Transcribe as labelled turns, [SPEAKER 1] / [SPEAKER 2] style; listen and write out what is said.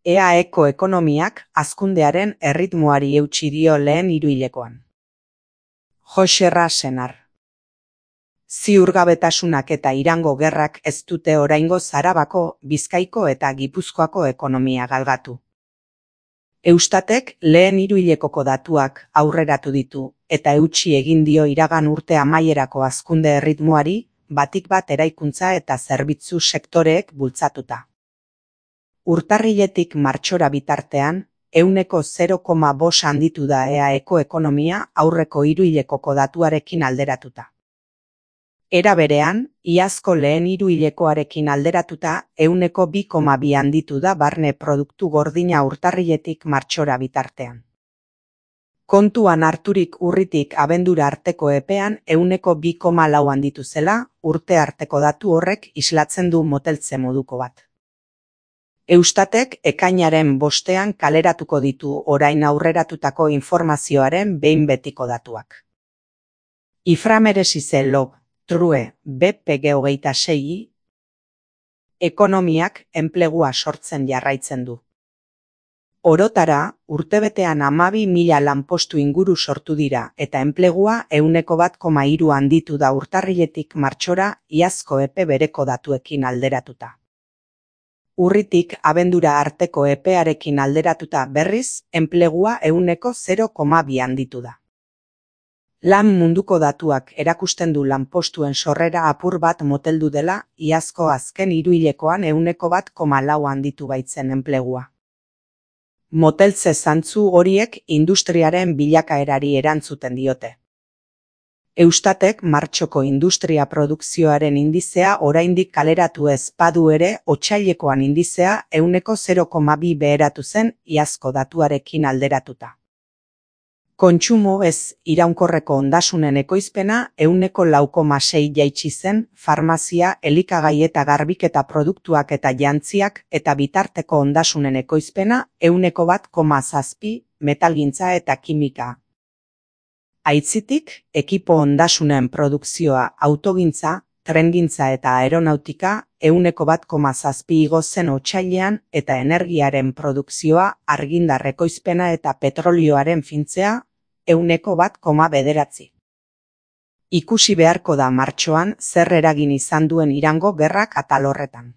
[SPEAKER 1] EAEko ekonomiak hazkundearen erritmoari eutsi dio lehen hiruhilekoan. Joxerra Senar. Ziurgabetasunak eta Irango gerrak ez dute oraingoz Arabako, Bizkaiko eta Gipuzkoako ekonomia galgatu. Eustatek lehen hiruhilekoko datuak aurreratu ditu eta eutsi egin dio iragan urte amaierako hazkunde erritmoari, batik bat eraikuntza eta zerbitzu sektoreek bultzatuta. Urtarriletik martxora bitartean, 0,5% handitu da EAEko ekonomia aurreko hiruhilekoko datuarekin alderatuta. Era berean, iazko lehen hiruhilekoarekin alderatuta 2,2% handitu da barne produktu gordina urtarriletik martxora bitartean. Kontuan harturik urritik abendura arteko epean 2,4% handitu zela, urte arteko datu horrek islatzen du moteltze moduko bat. Eustatek ekainaren 5ean kaleratuko ditu orain aurreratutako informazioaren behin betiko datuak. Iframeresize Lob, True, BPG26. Ekonomiak enplegua sortzen jarraitzen du. Orotara, urtebetean 12.000 lanpostu inguru sortu dira eta enplegua 1,3% handitu da urtarriletik martxora iazko epe bereko datuekin alderatuta. Urritik abendura arteko epearekin alderatuta berriz, enplegua 0,2% handitu da. Lan munduko datuak erakusten du lanpostuen sorrera apur bat moteldu dela, iazko azken hiruhilekoan 1,4% handitu baitzen enplegua. Moteltze zantzu horiek industriaren bilakaerari erantzuten diote. Eustatek martxoko industria produkzioaren indizea oraindik kaleratu ez badu ere, otsailekoan indizea 0,2% beheratu zen iazko datuarekin alderatuta. Kontsumo ez iraunkorreko ondasunen ekoizpena 4,6% jaitsi zen, farmazia, elikagai eta garbiketa produktuak eta jantziak eta bitarteko ondasunen ekoizpena 1,7%, metalgintza eta kimika. Aitzitik, ekipo ondasunen produkzioa autogintza, trengintza eta aeronautika 1,7% igo zen otsailean eta energiaren produkzioa, argindar ekoizpena eta petrolioaren fintzea 1,9%. Ikusi beharko da martxoan zer eragin izan duen Irango gerrak atal horretan.